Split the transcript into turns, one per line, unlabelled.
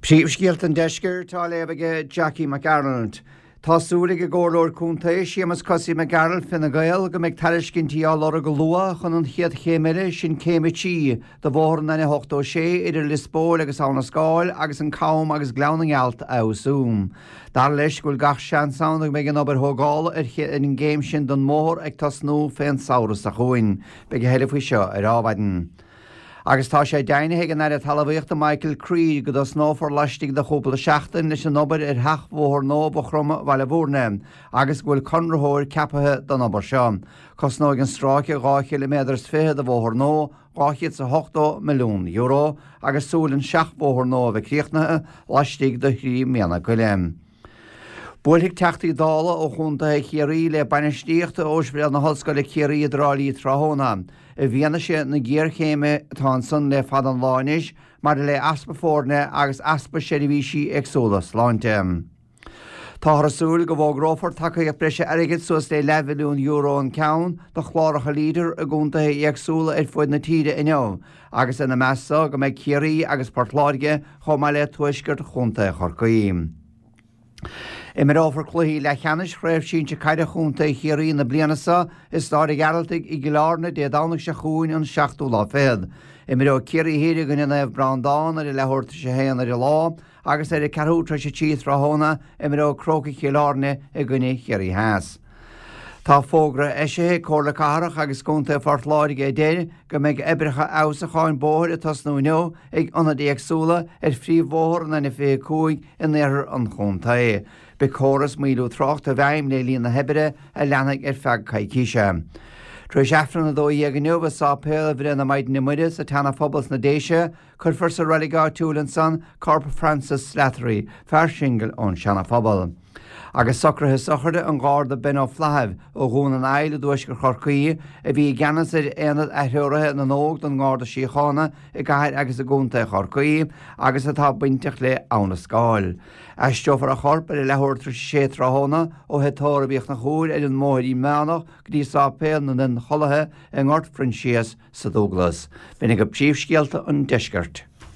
Príomhscéalta an Deiscirt á léamh aige Jackie Mac Gearailt. Tá súil ag an gComhairleoir Contae, Séamus Cosaí Mac Gearailt, Fine Gael, go mbeidh tairiscintí á lorg go luath chun an chéad chéim eile, sin Céim 3, de bhóthar an N86 idir Lios Póil agus Abha na Scáil agus an Cam agus Gleann na nGealt a fheabhsú. Dar leis go bhfuil gach seans ann go mbeidh an obair thógála ar an gcéim sin den mbóthar ag tosnú fén samhradh seo chugainn. Beidh a thuilleadh faoi seo ar Adhmhaidin. Agus tá sé deimhnithe ag an Aire Talmhaíochta Michael Creed go dtosnófar laistigh de chúpla seachtain leis an obair ar sheachbhóthar nua Mhaigh Chromtha Bhaile Bhúirne agus go bhfuil conraitheoir ceapaithe don obair seo. Cosnóidh an stráice 2 chiliméadar is 20 de bhóthar nua €280 milliún agus súil an seachbhóthar nua a bheith críochnaithe laistigh de thrí mbliana go leith. Buailfidh Teachtaí Dála ó chontaetha Chiarraí le bainistíocht Ospidéal na hOllscoile Ciarraí i dTrá Lí tráthnóna, i bhfianaise na géarchéime atá ansan le fada an lá anois maidir le easpa foirne agus easpa seirbhísí éagsúla sláinte. Táthar ag súil go bhfógrófar tacaíocht breise airgid suas le leathmhilliún euro an ceann do chláracha Leader i gcontaetha éagsúla ar fuaid na tíre inniu agus ina measc so go mbeidh Ciarraí agus Port Láirge chomh maith le tuaisceart chontae Chorcaí. Imreofar cluichí leathcheannais Chraobh Sinsir Caide Chontae Chiarraí na bliana seo i Stáid an Ghearaltaigh i gCill Airne Dé Domhnaigh seo chugainn an seachtú lá fichead. Imreoidh Ciarraí Thiar i gcoinne Naomh Breandán ar a leathuair tar éis a haon ar an lá agus ar a ceathrú tar éis a trí tráthnóna imreoidh Crócaigh Chill Airne i gcoinne Chiarraí Theas. Tá fógra eisithe ag Comhairle Cathrach agus Contae Phort Láirge a deir go mbeidh oibreacha fheabhsúcháin bóthair ag tosnú inniu ag ionaid éagsúla ar phríomhbhóthar an N25 in iarthar an chontae. Beidh córas maolú tráchta i bhfeidhm le linn na hoibre a leanfaidh ar feadh coicíse. Tar éis Aifreann 12 inniu i Sáipéal Bhreith na Maighdine Muire sa tSeana-Phobal sna Déise, Cuirfear sa reilig áitiúil ansan corp Francis Slattery, fear singil ón Seana-Phobal. Agus socruithe sochraide an Gharda Ben Ó Flathaibh ó Dhún an Aill i dtuaisceart Chorcaí, a bhí i gceannas ar Aonad Atreoraithe na nÓg don nGarda Síochána i gcathair agus i gcontae Chorcaí agus atá bainteach le Abha na Scáil. Aistreofar a chorp ar a leathuair tar éis a sé tráthnóna ó thigh tórraimh Uí Chonchúir ar an mBóithrín Meánach go dtí Sáipéal na nIonchollaithe i nGort Phroinsias sa Dúglas. B'in agaibh príomhscéalta an deiscirt.